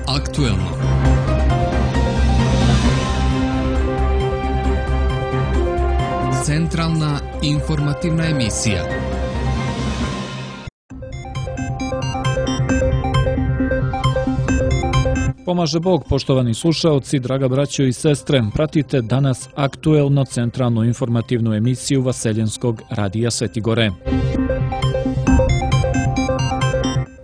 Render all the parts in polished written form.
aktuelno. Centralna informativna emisija. Pomaže Bog, poštovani slušaoci, draga braćo i sestre, pratite danas aktuelno centralnu informativnu emisiju Vaseljenskog radija Svetigore.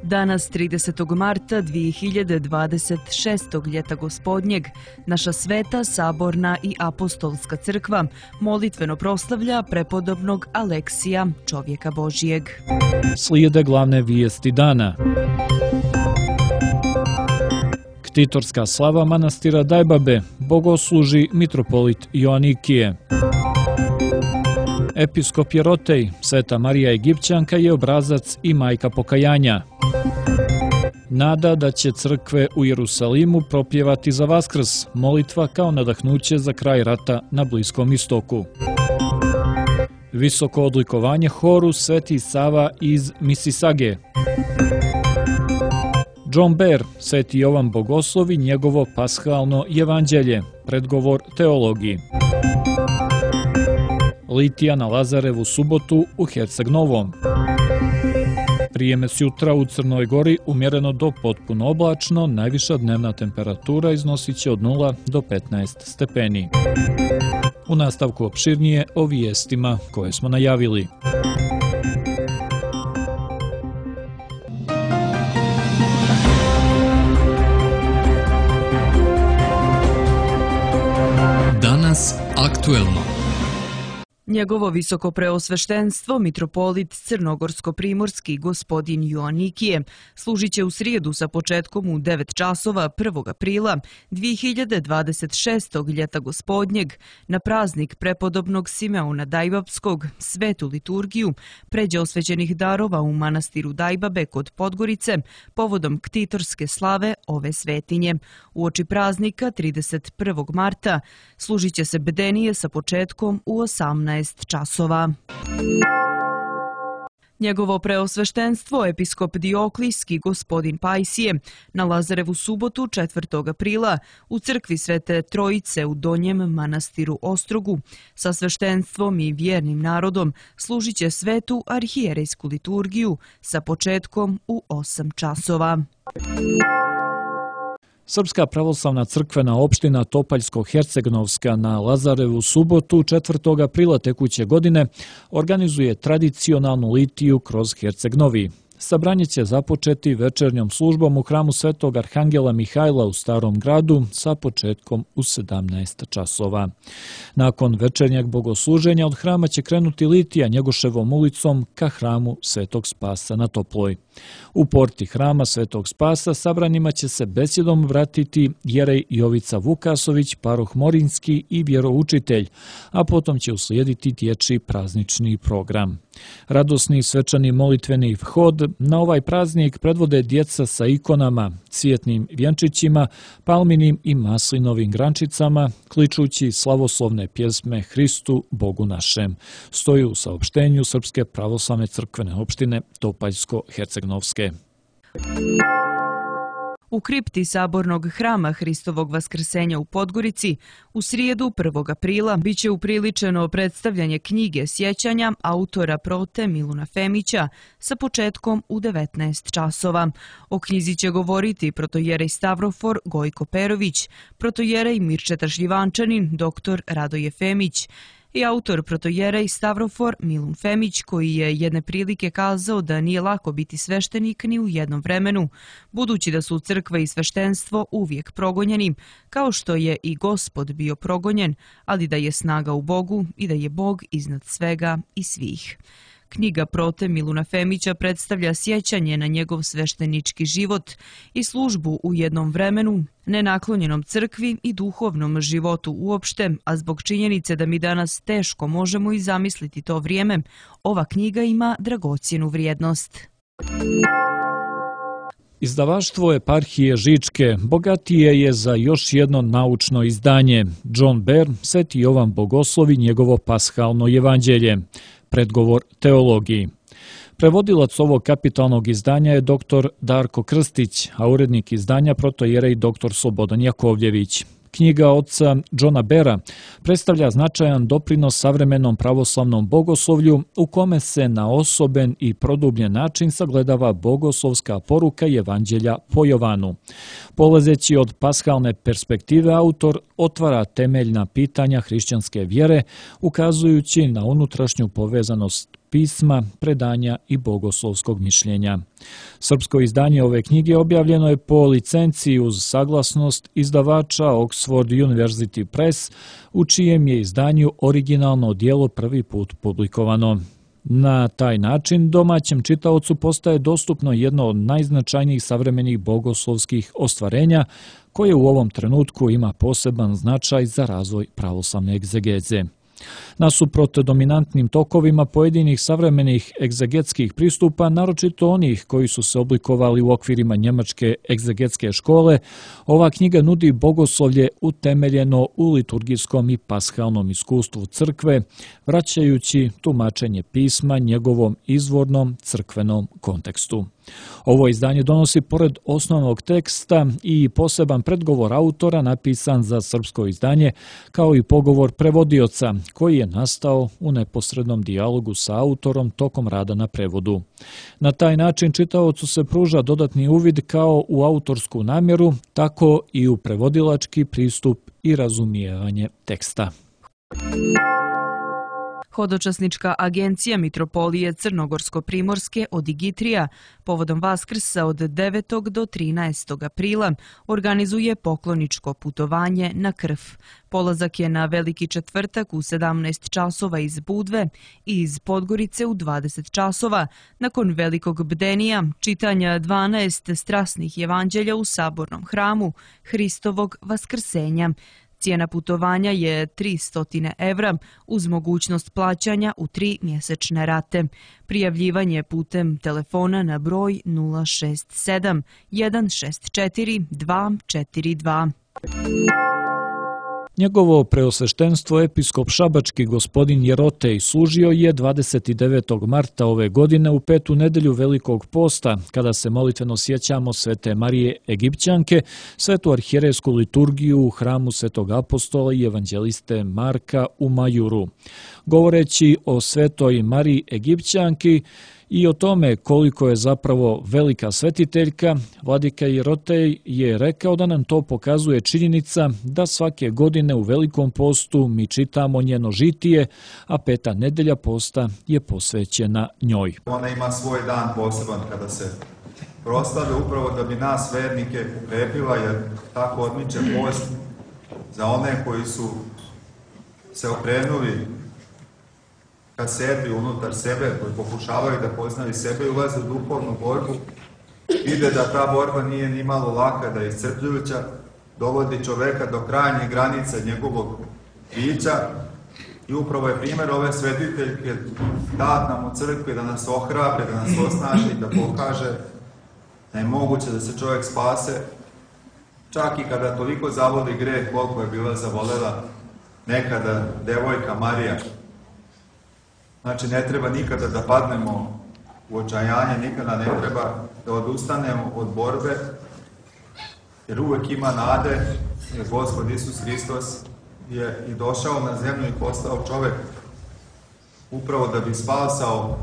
Danas, 30. marta 2026. ljeta gospodnjeg, naša sveta, saborna i apostolska crkva molitveno proslavlja prepodobnog Aleksija, čovjeka Božijeg. Slijede glavne vijesti dana. Ktitorska slava manastira Dajbabe, bogosluži mitropolit Joanikije. Episkop Jerotej, Sveta Marija Egipćanka je obrazac i majka pokajanja. Nada da će crkve u Jerusalimu propjevati za Vaskrs, molitva kao nadahnuće za kraj rata na Bliskom istoku. Visoko odlikovanje horu Sveti Sava iz Misisage. John Bear, Sveti Jovan Bogoslov i njegovo pashalno evanđelje, predgovor teologiji. Litija na Lazarevu subotu u Herceg Novom. Prijeme jutra u Crnoj Gori umjereno do potpuno oblačno, najviša dnevna temperatura iznosit će od 0 do 15 stepeni. U nastavku opširnije o vijestima koje smo najavili. Danas aktuelno. Njegovo visoko preosveštenstvo, mitropolit Crnogorsko-primorski gospodin Joanikije, služit će u srijedu sa početkom u 9 časova 1. aprila 2026. ljeta gospodnjeg na praznik prepodobnog Simeona Dajbabskog, svetu liturgiju, pređe osvećenih darova u manastiru Dajbabe kod Podgorice povodom ktitorske slave ove svetinje. Uoči praznika 31. marta služit će se bedenije sa početkom u 18 časova. Njegovo preosveštenstvo, episkop Dioklijski gospodin Pajsije, na Lazarevu subotu 4. aprila u crkvi Svete Trojice u Donjem manastiru Ostrogu sa sveštenstvom i vjernim narodom služit će svetu arhijerejsku liturgiju sa početkom u 8 časova. Srpska pravoslavna crkvena opština Topaljsko-Hercegnovska na Lazarevu subotu 4. aprila tekuće godine organizuje tradicionalnu litiju kroz Herceg Novi. Sabranje će započeti večernjom službom u hramu Svetog Arhangela Mihajla u Starom gradu sa početkom u 17 časova. Nakon večernjeg bogosluženja od hrama će krenuti litija Njegoševom ulicom ka hramu Svetog Spasa na Toploj. U porti hrama Svetog Spasa sabranima će se besjedom vratiti jerej Jovica Vukasović, paroh Morinski i vjeroučitelj, a potom će uslijediti dječji praznični program. Radosni svečani molitveni vhod na ovaj praznik predvode djeca sa ikonama, cvjetnim vjenčićima, palminim i maslinovim grančicama, kličući slavoslovne pjesme Hristu, Bogu našem. Stoji u saopštenju Srpske pravoslavne crkvene opštine Topaljsko-Hercegnovske. U kripti sabornog hrama Hristovog vaskrsenja u Podgorici u srijedu 1. aprila biće upriličeno predstavljanje knjige sjećanja autora prote Miluna Femića sa početkom u 19 časova. O knjizi će govoriti protojerej Stavrofor Gojko Perović, protojerej Mirčeta Šljivančanin, dr. Radoje Femić, i autor protojerej Stavrofor Milun Femić, koji je jedne prilike kazao da nije lako biti sveštenik ni u jednom vremenu, budući da su crkva i sveštenstvo uvijek progonjeni, kao što je i Gospod bio progonjen, ali da je snaga u Bogu i da je Bog iznad svega i svih. Knjiga prote Miluna Femića predstavlja sjećanje na njegov sveštenički život i službu u jednom vremenu, nenaklonjenom crkvi i duhovnom životu uopšte, a zbog činjenice da mi danas teško možemo i zamisliti to vrijeme, ova knjiga ima dragocjenu vrijednost. Izdavaštvo eparhije Žičke bogatije je za još jedno naučno izdanje. John Bear, Sveti Jovan Bogoslov i njegovo pashalno evanđelje, predgovor teologiji. Prevodilac ovog kapitalnog izdanja je dr. Darko Krstić, a urednik izdanja protojerej dr. Slobodan Jakovljević. Knjiga oca Johna Bera predstavlja značajan doprinos savremenom pravoslavnom bogoslovlju u kome se na osoben i produbljen način sagledava bogoslovska poruka Evanđelja po Jovanu. Polazeći od paskalne perspektive, autor otvara temeljna pitanja hrišćanske vjere, ukazujući na unutrašnju povezanost pisma, predanja i bogoslovskog mišljenja. Srpsko izdanje ove knjige objavljeno je po licenciji uz saglasnost izdavača Oxford University Press, u čijem je izdanju originalno djelo prvi put publikovano. Na taj način domaćem čitaocu postaje dostupno jedno od najznačajnijih savremenih bogoslovskih ostvarenja, koje u ovom trenutku ima poseban značaj za razvoj pravoslavne egzegeze. Nasuprot dominantnim tokovima pojedinih savremenih egzegetskih pristupa, naročito onih koji su se oblikovali u okvirima njemačke egzegetske škole, ova knjiga nudi bogoslovlje utemeljeno u liturgijskom i pashalnom iskustvu crkve, vraćajući tumačenje pisma njegovom izvornom crkvenom kontekstu. Ovo izdanje donosi pored osnovnog teksta i poseban predgovor autora napisan za srpsko izdanje, kao i pogovor prevodioca koji je nastao u neposrednom dijalogu sa autorom tokom rada na prevodu. Na taj način čitaocu se pruža dodatni uvid kao u autorsku namjeru, tako i u prevodilački pristup i razumijevanje teksta. Hodočasnička agencija Mitropolije Crnogorsko-Primorske od Igitrija povodom Vaskrsa od 9. do 13. aprila organizuje pokloničko putovanje na Krf. Polazak je na Veliki četvrtak u 17 časova iz Budve i iz Podgorice u 20 časova, nakon velikog bdenija, čitanja 12 strasnih evanđelja u sabornom hramu Hristovog Vaskrsenja. Cijena putovanja je 300 evra uz mogućnost plaćanja u 3 mjesečne rate. Prijavljivanje putem telefona na broj 067 164 242. Njegovo preosveštenstvo episkop šabački gospodin Jerotej služio je 29. marta ove godine u 5. nedelju Velikog posta, kada se molitveno sjećamo Svete Marije Egipćanke, svetu arhijerejsku liturgiju u hramu Svetog apostola i evanđeliste Marka u Majuru. Govoreći o Svetoj Mariji Egipćanki i o tome koliko je zapravo velika svetiteljka, vladika Jerotej je rekao da nam to pokazuje činjenica da svake godine u Velikom postu mi čitamo njeno žitije, a 5. nedelja posta je posvećena njoj. Ona ima svoj dan poseban kada se proslave upravo da bi nas vernike ukrepila, jer tako odmiče post za one koji su se okrenuli ka sebi, unutar sebe, koji pokušavaju da poznaju sebe i ulaze u duhovnu borbu, vide da ta borba nije ni malo laka, da je iscrpljujuća, dovodi čoveka do krajnjih granica njegovog bića i upravo je primjer ove svetiteljke dat nam u crkvi da nas ohrabre, da nas osnaži, da pokaže da je moguće da se čovjek spase, čak i kada toliko zavoli greh koliko je bila zavolela nekada devojka Marija. Znači, ne treba nikada da padnemo u očajanje, nikada ne treba da odustanemo od borbe, jer uvek ima nade, jer Gospod Isus Hristos je i došao na zemlju i postao čovek upravo da bi spasao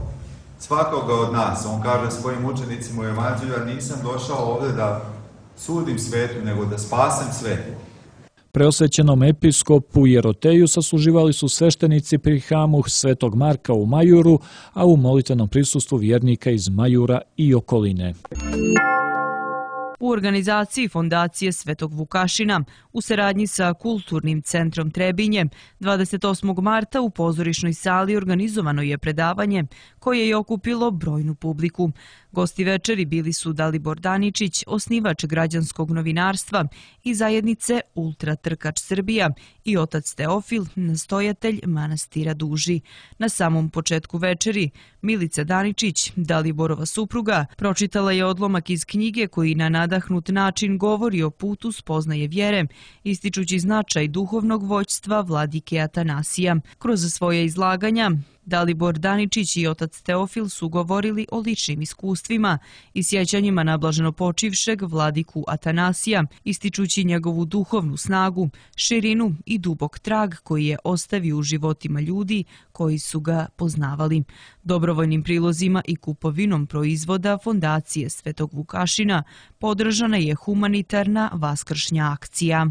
svakoga od nas. On kaže svojim učenicima u Evanđelju: ja nisam došao ovde da sudim svetu, nego da spasem svetu. Preosvećenom episkopu Jeroteju sasluživali su sveštenici pri hramu Svetog Marka u Majuru, a u molitvenom prisustvu vjernika iz Majura i okoline. U organizaciji Fondacije Svetog Vukašina u saradnji sa Kulturnim centrom Trebinje 28. marta u pozorišnoj sali organizovano je predavanje koje je okupilo brojnu publiku. Gosti večeri bili su Dalibor Daničić, osnivač građanskog novinarstva i zajednice Ultra Trkač Srbija, i otac Teofil, nastojatelj manastira Duži. Na samom početku večeri Milica Daničić, Daliborova supruga, pročitala je odlomak iz knjige koji na nadahnut način govori o putu spoznaje vjere, ističući značaj duhovnog vođstva vladike Atanasija. Kroz svoje izlaganja Dalibor Daničić i otac Teofil su govorili o ličnim iskustvima i sjećanjima na blaženopočivšeg vladiku Atanasija, ističući njegovu duhovnu snagu, širinu i dubok trag koji je ostavio u životima ljudi koji su ga poznavali. Dobrovoljnim prilozima i kupovinom proizvoda Fondacije Svetog Vukašina podržana je humanitarna vaskršnja akcija.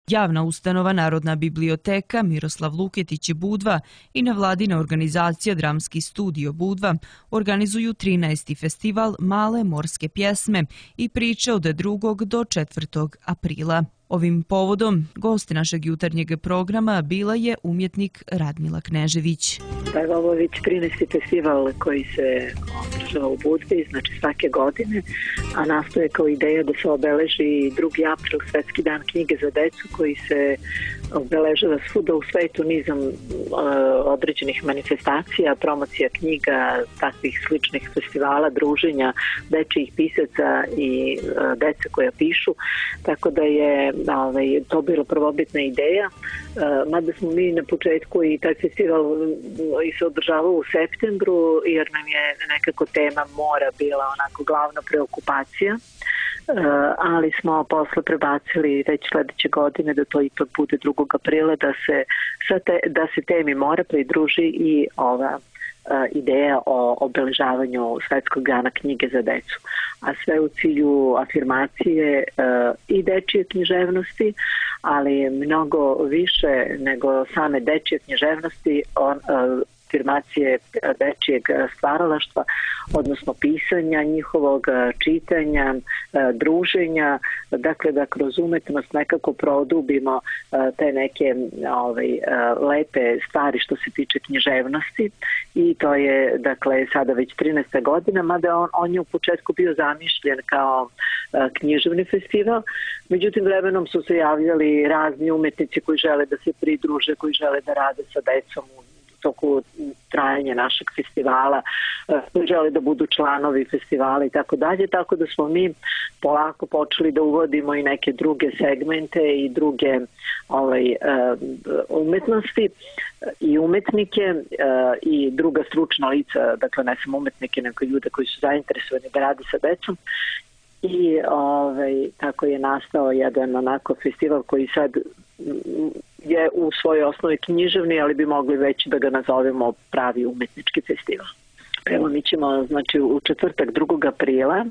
Javna ustanova Narodna biblioteka Miroslav Luketić Budva i nevladina organizacija Dramski studio Budva organizuju 13. festival Male morske pjesme i priče od 2. do 4. aprila. Ovim povodom gost našeg jutarnjeg programa bila je umjetnik Radmila Knežević. Ovo je već 13. festival koji se održava u Budvi, znači svake godine, a nastoje kao ideja da se obeleži 2. april, Svetski dan knjige za decu, koji se obeležava svuda u svetu nizom određenih manifestacija, promocija knjiga, takvih sličnih festivala, druženja dečijih pisaca i deca koja pišu, tako da je to bila prvobitna ideja, mada smo mi na početku i taj festival i se održavao u septembru, jer nam je nekako tema mora bila onako glavna preokupacija, ali smo posle prebacili već sledeće godine da to ipak bude 2. aprila, da se temi mora pridruži i ova ideja o obeležavanju Svetskog dana knjige za decu, a sve u cilju afirmacije i dečije književnosti, ali mnogo više nego same dečije književnosti, afirmacije dečijeg stvaralaštva, odnosno pisanja njihovog, čitanja, druženja, dakle da kroz umetnost nekako produbimo te neke lepe stvari što se tiče književnosti, i to je dakle sada već 13. godina, mada on je u početku bio zamišljen kao književni festival, međutim vremenom su se javljali razni umetnici koji žele da se pridruže, koji žele da rade sa decom u toku trajanja našeg festivala, koji žele da budu članovi festivala i tako dalje, tako da smo mi polako počeli da uvodimo i neke druge segmente i druge umetnosti i umetnike i druga stručna lica, dakle ne samo umetnike, nego ljude koji su zainteresovani da rade sa decom. I tako je nastao jedan onako festival koji sad je u svojoj osnovi književni, ali bi mogli već da ga nazovemo pravi umetnički festival. Evo, mi ćemo, znači, u četvrtak 2. aprila,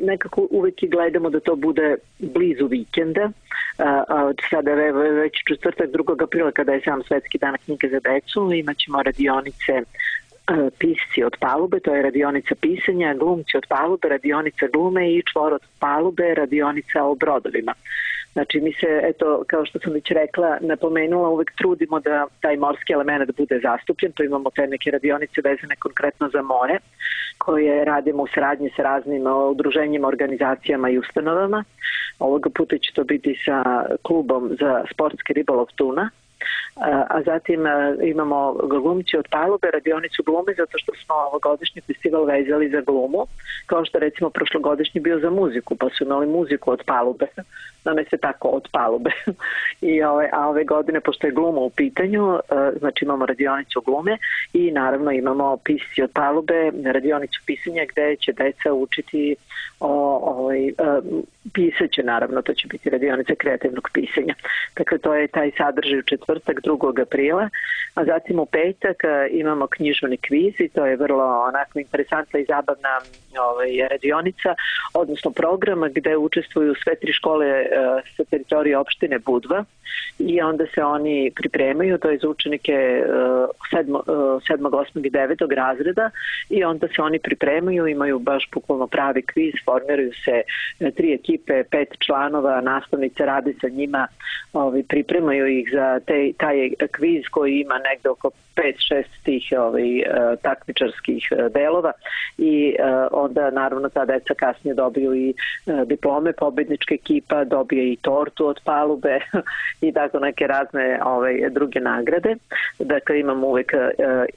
nekako uvek i gledamo da to bude blizu vikenda, sada je već četvrtak 2. aprila kada je sam Svetski dan knjige za decu, imat ćemo radionice Pisci od palube, to je radionica pisanja, Glumci od palube, radionica glume i Čvor od palube, radionica o brodovima. Znači mi se, eto, kao što sam već rekla, napomenula, uvek trudimo da taj morski element bude zastupljen, to imamo te neke radionice vezane konkretno za more, koje radimo u saradnji sa raznim udruženjima, organizacijama i ustanovama. Ovoga puta će to biti sa klubom za sportski ribolov Tuna, a zatim imamo Glumci od palube, radionicu glume, zato što smo ovogodišnji festival vezali za glumu, kao što recimo prošlogodišnji bio za muziku, pa su imali muziku od palube, nam je se tako od palube. A ove godine, pošto je gluma u pitanju, znači imamo radionicu glume i naravno imamo Pisci od palube, radionicu pisanja gde će deca učiti pisaće, naravno, to će biti radionica kreativnog pisanja. Dakle, to je taj sadržaj u četvrtak 2. aprila, a zatim u petak imamo književni kviz i to je vrlo onako interesantna i zabavna radionica, odnosno program gde učestvuju sve 3 škole sa teritorije opštine Budva i onda se oni pripremaju, to je za učenike 7., 8. i 9. razreda i onda se oni pripremaju, imaju baš bukvalno pravi kviz, formiraju se 3 ekipe, 5 članova, nastavnice rade sa njima, pripremaju ih za taj kviz koji ima negde oko 5-6 tih takmičarskih delova i onda naravno ta deca kasnije dobiju i diplome, pobednička ekipa dobije i tortu od palube i tako neke razne druge nagrade. Dakle, imamo uvek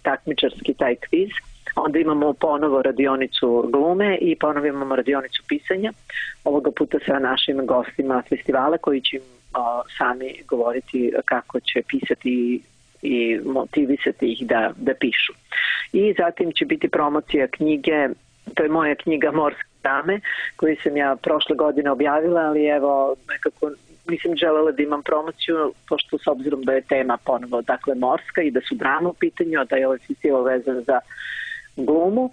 takmičarski taj kviz. Onda imamo ponovo radionicu glume i ponovo imamo radionicu pisanja. Ovoga puta sa našim gostima festivala koji će sami govoriti kako će pisati i motivisati ih da pišu. I zatim će biti promocija knjige, to je moja knjiga Morske drame, koju sam ja prošle godine objavila, ali evo nekako nisam želela da imam promociju, pošto s obzirom da je tema ponovo, dakle, morska i da su drame u pitanju, da je ovaj festival vezan za glumu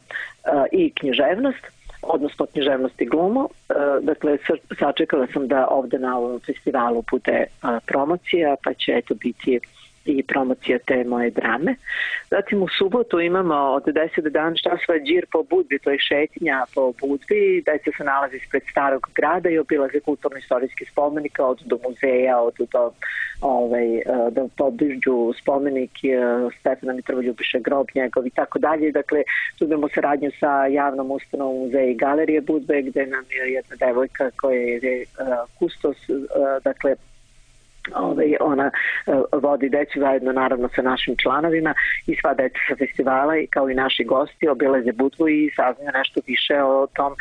i književnost, odnosno književnost i glumu. Dakle, sačekala sam da ovde na ovom festivalu bude promocija, pa će eto biti i promocija te moje drame. Zatim u subotu imamo od 10 do 11 časova džir po Budvi, to je šetnja po Budvi. Deca se nalazi ispred starog grada i obilaze kulturno-istorijski spomenika, od do muzeja, od do pobližu spomenik Stefana Mitroljubiša, grob njegov i tako dalje. Dakle, tu imamo saradnju sa javnom ustanovom muzeja i galerije Budve, gde nam je jedna devojka koja je kustos, dakle, ona vodi decu zajedno naravno sa našim članovima i sva deca sa festivala kao i naši gosti obilaze Budvu i saznaju nešto više o tom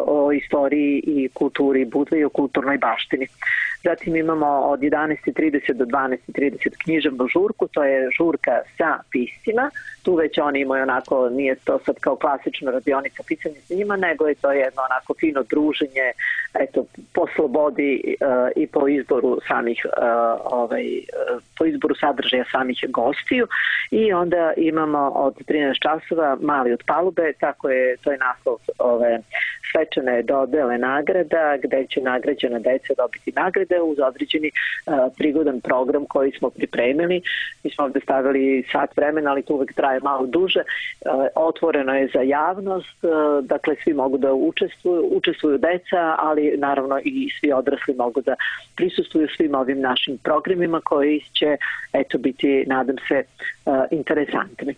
o istoriji i kulturi Budve i o kulturnoj baštini. Zatim imamo od 11:30 do 12:30 književnu žurku, to je žurka sa piscima. Tu već oni imaju onako, nije to sad kao klasična radionica pisanja s njima, nego je to jedno onako fino druženje, eto, po slobodi i po izboru samih, po izboru sadržaja samih gostiju. I onda imamo od 13 časova Mali od palube, to je naslov svečane dodele nagrada, gde će nagrađena deca dobiti nagrade uz određeni prigodan program koji smo pripremili. Mi smo ovde stavili sat vremena, ali to uvek traje malo duže. Otvoreno je za javnost, dakle svi mogu da učestvuju deca, ali naravno i svi odrasli mogu da prisustvuju svim ovim našim programima koji će, eto, biti, nadam se, interesantni.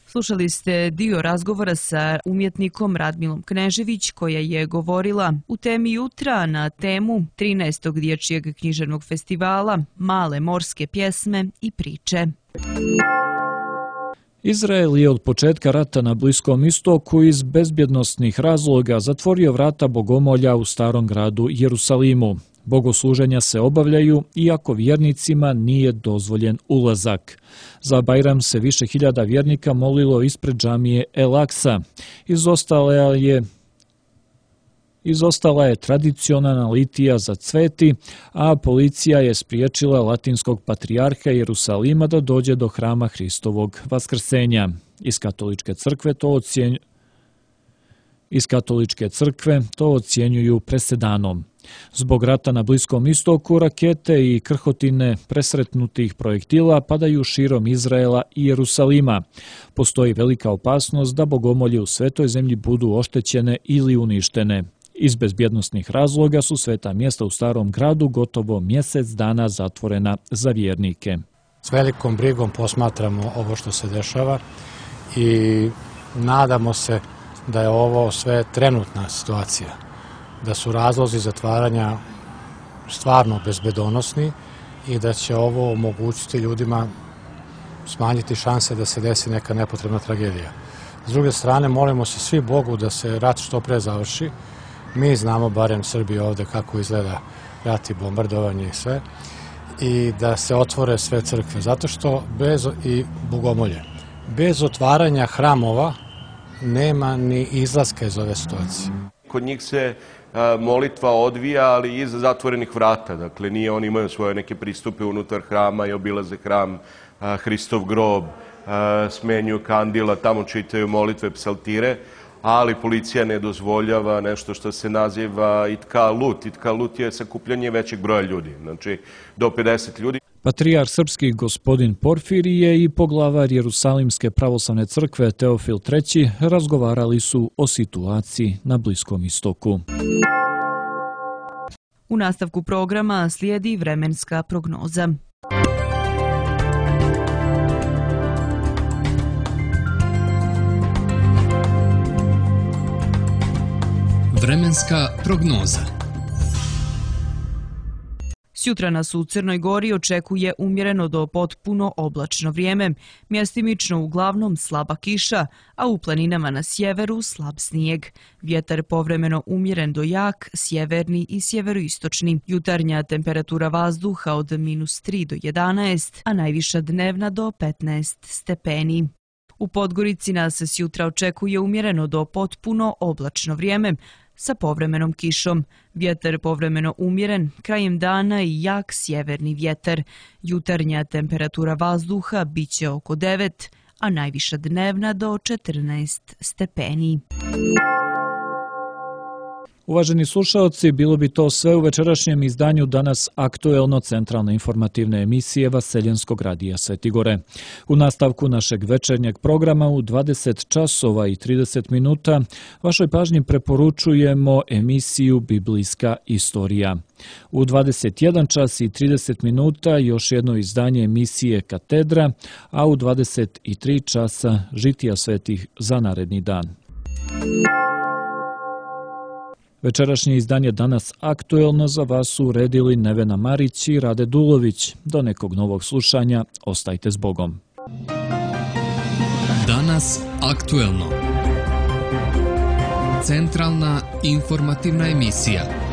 Slušali ste dio razgovora sa umjetnikom Radmilom Knežević, koja je govorila u temi jutra na temu 13. dječjeg književnog festivala Male morske pjesme i priče. Izrael je od početka rata na Bliskom istoku iz bezbjednosnih razloga zatvorio vrata bogomolja u starom gradu Jerusalimu. Bogosluženja se obavljaju, iako vjernicima nije dozvoljen ulazak. Za Bajram se više hiljada vjernika molilo ispred džamije El Aksa. Izostala je tradicionalna litija za cveti, a policija je spriječila latinskog patrijarha Jerusalima da dođe do hrama Hristovog vaskrsenja. Iz katoličke crkve to ocjenjuju presedanom. Zbog rata na Bliskom istoku, rakete i krhotine presretnutih projektila padaju širom Izraela i Jerusalima. Postoji velika opasnost da bogomolje u svetoj zemlji budu oštećene ili uništene. Iz bezbjednosnih razloga su sveta mjesta u starom gradu gotovo mjesec dana zatvorena za vjernike. S velikom brigom posmatramo ovo što se dešava i nadamo se da je ovo sve trenutna situacija, da su razlozi zatvaranja stvarno bezbedonosni i da će ovo omogućiti ljudima, smanjiti šanse da se desi neka nepotrebna tragedija. S druge strane, molimo se svi Bogu da se rat što pre završi. Mi znamo, barem Srbi ovde, kako izgleda rat i bombardovanje i sve, i da se otvore sve crkve, zato što i bogomolje. Bez otvaranja hramova nema ni izlaska iz ove situacije. Kod njih se molitva odvija, ali iza zatvorenih vrata. Dakle, nije oni imaju svoje neke pristupe unutar hrama i obilaze hram, Hristov grob, smenjuju kandila, tamo čitaju molitve, psaltire, ali policija ne dozvoljava nešto što se naziva itkalut. Itkalut je sakupljanje većeg broja ljudi, znači do 50 ljudi. Patrijarh srpski gospodin Porfirije i poglavar Jerusalimske pravoslavne crkve Teofil III razgovarali su o situaciji na Bliskom istoku. U nastavku programa slijedi vremenska prognoza. Vremenska prognoza. Sjutra nas u Crnoj Gori očekuje umjereno do potpuno oblačno vrijeme, mjestimično uglavnom slaba kiša, a u planinama na sjeveru slab snijeg. Vjetar povremeno umjeren do jak, sjeverni i sjeveroistočni. Jutarnja temperatura vazduha od -3 do 11, a najviša dnevna do 15 stepeni. U Podgorici nas sjutra očekuje umjereno do potpuno oblačno vrijeme, sa povremenom kišom. Vjetar povremeno umjeren, krajem dana i jak sjeverni vjetar. Jutarnja temperatura vazduha biće oko 9, a najviša dnevna do 14 stepeni. Uvaženi slušaoci, bilo bi to sve u večerašnjem izdanju Danas aktuelno centralne informativne emisije Vaseljenskog radija Sveti Gore. U nastavku našeg večernjeg programa u 20 časova i 30 minuta vašoj pažnji preporučujemo emisiju Biblijska istorija. U 21 čas i 30 minuta još jedno izdanje emisije Katedra, a u 23 časa Žitija svetih za naredni dan. Večerašnje izdanje Danas aktuelno za vas su uredili Nevena Marić i Rade Dulović. Do nekog novog slušanja, ostajte s Bogom. Danas aktuelno. Centralna informativna emisija.